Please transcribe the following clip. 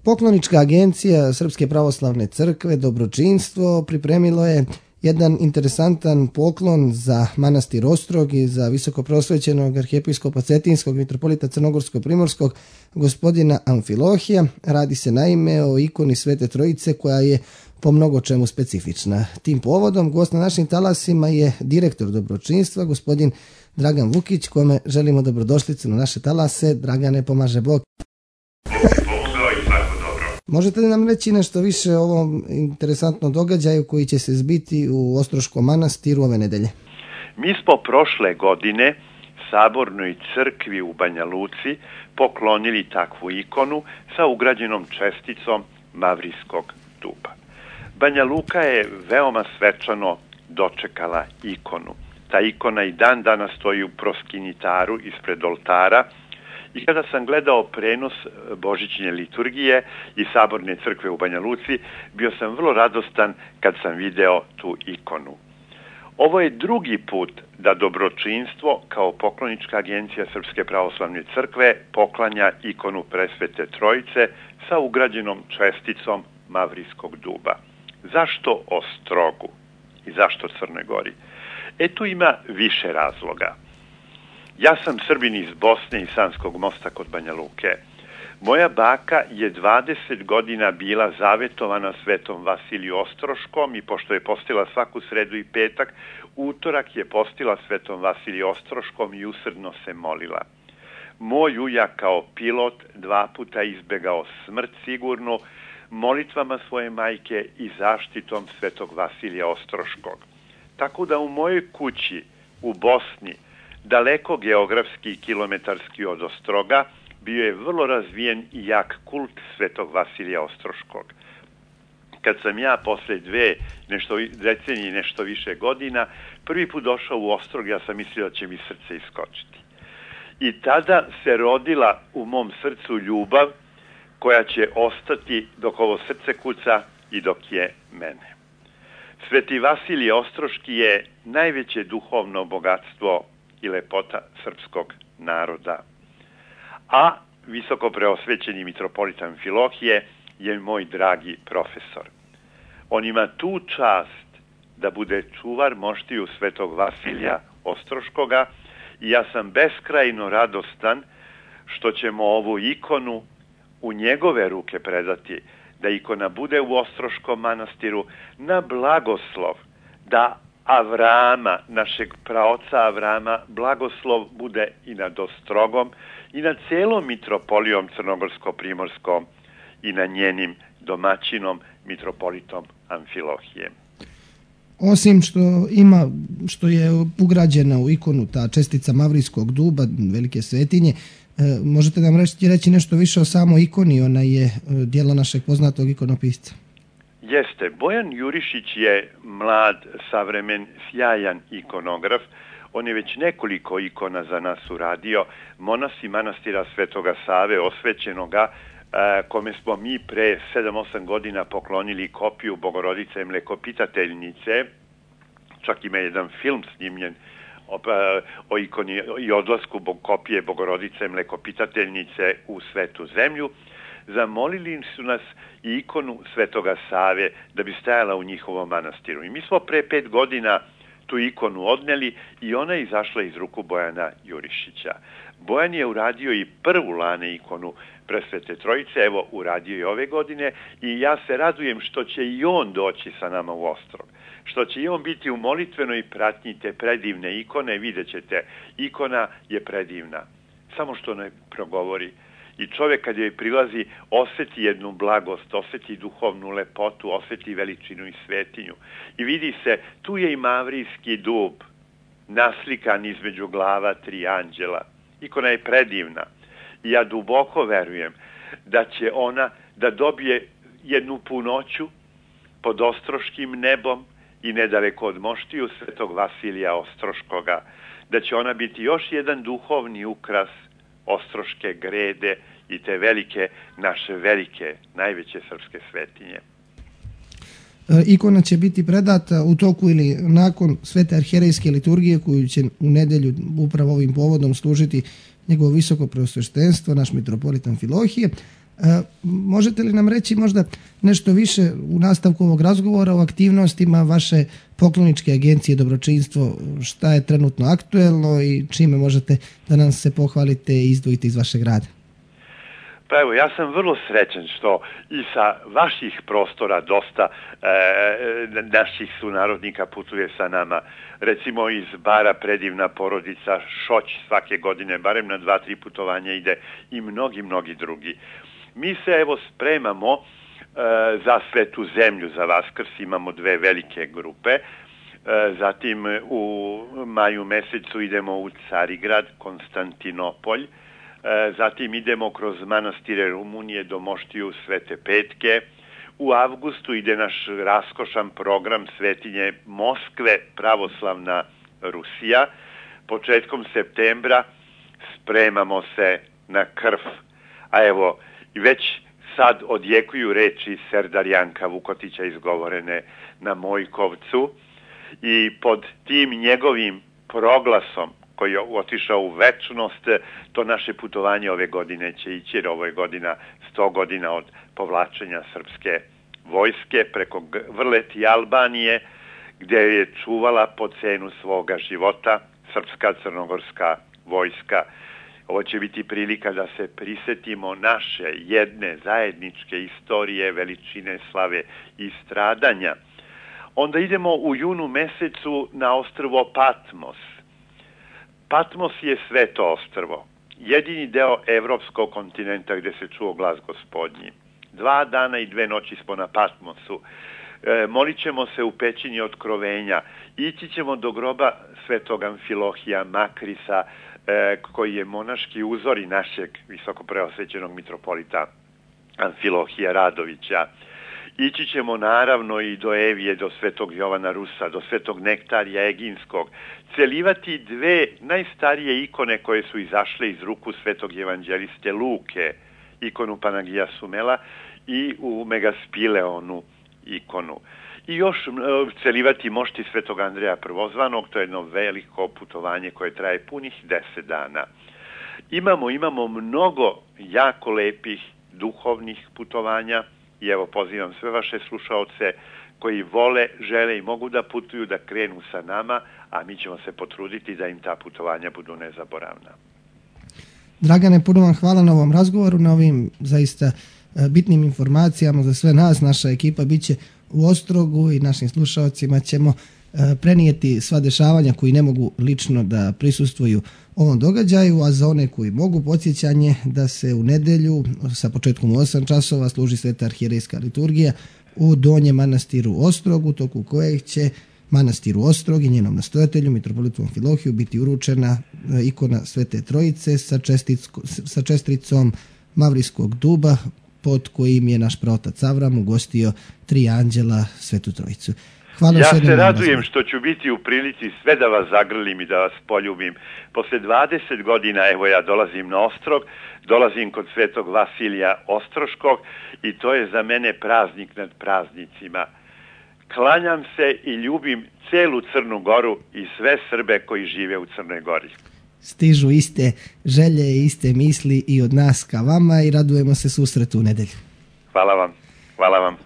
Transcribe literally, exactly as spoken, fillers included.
Poklonička agencija Srpske pravoslavne crkve Dobročinstvo pripremilo je jedan interesantan poklon za manastir Ostrog i za visokoprosvećenog arhijepiskopa Cetinskog mitropolita Crnogorsko-primorskog gospodina Amfilohija. Radi se naime o ikoni Svete Trojice koja je po mnogo čemu specifična. Tim povodom gost na našim talasima je direktor Dobročinstva, gospodin Dragan Vukić, kome želimo dobrodošlicu na naše talase. Dragane, pomaže Bog. Možete li nam reći nešto više o ovom interesantnom događaju koji će se zbiti u Ostroškom manastiru ove nedelje? Mi smo prošle godine Sabornoj crkvi u Banja Luci poklonili takvu ikonu sa ugrađenom česticom Mavrijskog duba. Banja Luka je veoma svečano dočekala ikonu. Ta ikona i dan danas stoji u proskinitaru ispred oltara. I kada sam gledao prenos božićne liturgije i Saborne crkve u Banja Luci, bio sam vrlo radostan kad sam video tu ikonu. Ovo je drugi put da Dobročinstvo kao poklonička agencija Srpske pravoslavne crkve poklanja ikonu Presvete Trojice sa ugrađenom česticom Mavrijskog duba. Zašto Ostrogu i zašto Crnoj Gori? E tu ima više razloga. Ja sam Srbin iz Bosne i Sanskog Mosta kod Banja Luke. Moja baka je dvadeset godina bila zavetovana svetom Vasiliju Ostroškom i pošto je postila svaku sredu i petak, utorak je postila svetom Vasiliju Ostroškom i usrdno se molila. Moj ujak kao pilot dva puta izbegao smrt sigurnu molitvama svoje majke i zaštitom svetog Vasilija Ostroškog. Tako da u mojoj kući u Bosni, daleko geografski i kilometarski od Ostroga, bio je vrlo razvijen i jak kult svetog Vasilija Ostroškog. Kad sam ja posle dve nešto, decenije nešto više godina prvi put došao u Ostrog, ja sam mislio da će mi srce iskočiti. I tada se rodila u mom srcu ljubav koja će ostati dok ovo srce kuca i dok je mene. Sveti Vasilije Ostroški je najveće duhovno bogatstvo i lepota srpskog naroda. A visoko preosvećeni mitropolit Amfilohije je moj dragi profesor. On ima tu čast da bude čuvar moštiju svetog Vasilija Ostroškoga i ja sam beskrajno radostan što ćemo ovu ikonu u njegove ruke predati, da ikona bude u Ostroškom manastiru na blagoslov, da Avrama, našeg praoca Avrama, blagoslov bude i nad Ostrogom i nad celom mitropolijom Crnogorsko-primorskom i na njenim domaćinom mitropolitom Amfilohijem. Osim što ima, što je ugrađena u ikonu ta čestica Mavrijskog duba, velike svetinje, možete nam reći, reći nešto više o samoj ikoni? Ona je djelo našeg poznatog ikonopisca. Jeste. Bojan Jurišić je mlad, savremen, sjajan ikonograf. On je već nekoliko ikona za nas uradio. Monasi manastira Svetoga Save, osvećenoga, kome smo mi pre sedam osam godina poklonili kopiju Bogorodice Mlekopitateljnice. Čak ima jedan film snimljen o ikoni i odlasku kopije Bogorodice Mlekopitateljnice u Svetu zemlju. Zamolili su nas i ikonu Svetoga Save da bi stajala u njihovom manastiru. I mi smo pre pet godina tu ikonu odneli i ona je izašla iz ruku Bojana Jurišića. Bojan je uradio i prvu lane ikonu Presvete Trojice, evo uradio i ove godine i ja se radujem što će i on doći sa nama u Ostrog. Što će i on biti u molitvenoj pratnji te predivne ikone, vidjet ćete, ikona je predivna, samo što ne progovori. I čovjek kad joj prilazi osjeti jednu blagost, osjeti duhovnu lepotu, osjeti veličinu i svetinju. I vidi se, tu je i Mavrijski dub, naslikan između glava tri anđela. Ikona je predivna. I ja duboko verujem da će ona da dobije jednu punoću pod ostroškim nebom i nedaleko od moštiju svetog Vasilija Ostroškoga, da će ona biti još jedan duhovni ukras Ostroške grede i te velike, naše velike, najveće srpske svetinje. Ikona će biti predata u toku ili nakon svete arhijerejske liturgije koju će u nedelju upravo ovim povodom služiti njegovo visoko preosveštenstvo, naš mitropolit Amfilohije, Možete li nam reći možda nešto više u nastavku ovog razgovora o aktivnostima vaše pokloničke agencije Dobročinstvo, šta je trenutno aktuelno i čime možete da nam se pohvalite i izdvojite iz vašeg rada? Pa evo, ja sam vrlo srećan što i sa vaših prostora dosta e, naših sunarodnika putuje sa nama. Recimo iz Bara predivna porodica Šoć svake godine, barem na dva, tri putovanja ide i mnogi, mnogi drugi. Mi se evo spremamo e, za Svetu zemlju, za Vaskrs, imamo dve velike grupe. E, zatim u maju mesecu idemo u Carigrad, Konstantinopolj. Zatim idemo kroz manastire Rumunije do Moštiju Svete Petke. U avgustu ide naš raskošan program Svetinje Moskve, pravoslavna Rusija. Početkom septembra spremamo se na Krf. A evo, već sad odjekuju reči Serdarjanka Vukotića izgovorene na Mojkovcu i pod tim njegovim proglasom koji je otišao u večnost, to naše putovanje ove godine će ići, jer ovo je godina, sto godina od povlačenja srpske vojske preko Vrleti Albanije, gdje je čuvala po cenu svoga života srpska crnogorska vojska. Ovo će biti prilika da se prisetimo naše jedne zajedničke istorije, veličine, slave i stradanja. Onda idemo u junu mesecu na ostrvo Patmos. Patmos je sveto ostrvo, jedini deo evropskog kontinenta gdje se čuo glas Gospodnji. Dva dana i dve noći smo na Patmosu. E, molit ćemo se u pećini otkrovenja. Ići ćemo do groba svetog Amfilohija Makrisa, e, koji je monaški uzor i našeg visoko preosvećenog mitropolita Amfilohija Radovića. Ići ćemo naravno i do Evije, do svetog Jovana Rusa, do svetog Nektarija Eginskog, celivati dve najstarije ikone koje su izašle iz ruku svetog evanđeliste Luke, ikonu Panagija Sumela i u Megaspileonu ikonu. I još celivati mošti svetog Andreja Prvozvanog, to je jedno veliko putovanje koje traje punih deset dana. Imamo, imamo mnogo jako lepih duhovnih putovanja. I evo pozivam sve vaše slušaoce koji vole, žele i mogu da putuju da krenu sa nama, a mi ćemo se potruditi da im ta putovanja budu nezaboravna. Dragane, puno vam hvala na ovom razgovoru, na ovim zaista bitnim informacijama za sve nas. Naša ekipa bit će u Ostrogu i našim slušaocima ćemo prenijeti sva dešavanja koji ne mogu lično da prisustvuju ovom događaju, a za one koji mogu podsjećanje da se u nedelju sa početkom u osam časova služi sveta arhijerejska liturgija u Donjem manastiru Ostrogu, toku kojeg će manastiru Ostrog i njenom nastojatelju, mitropolitu Amfilohiju, biti uručena ikona Svete Trojice sa, sa čestricom Mavrijskog duba, pod kojim je naš praotac Avram ugostio tri anđela Svetu Trojicu. Hvala. Ja se radujem što ću biti u prilici sve da vas zagrlim i da vas poljubim. Posle dvadeset godina, evo ja dolazim na Ostrog, dolazim kod svetog Vasilija Ostroškog i to je za mene praznik nad praznicima. Klanjam se i ljubim celu Crnu Goru i sve Srbe koji žive u Crnoj Gori. Stižu iste želje i iste misli i od nas ka vama i radujemo se susretu u nedelju. Hvala vam. Hvala vam.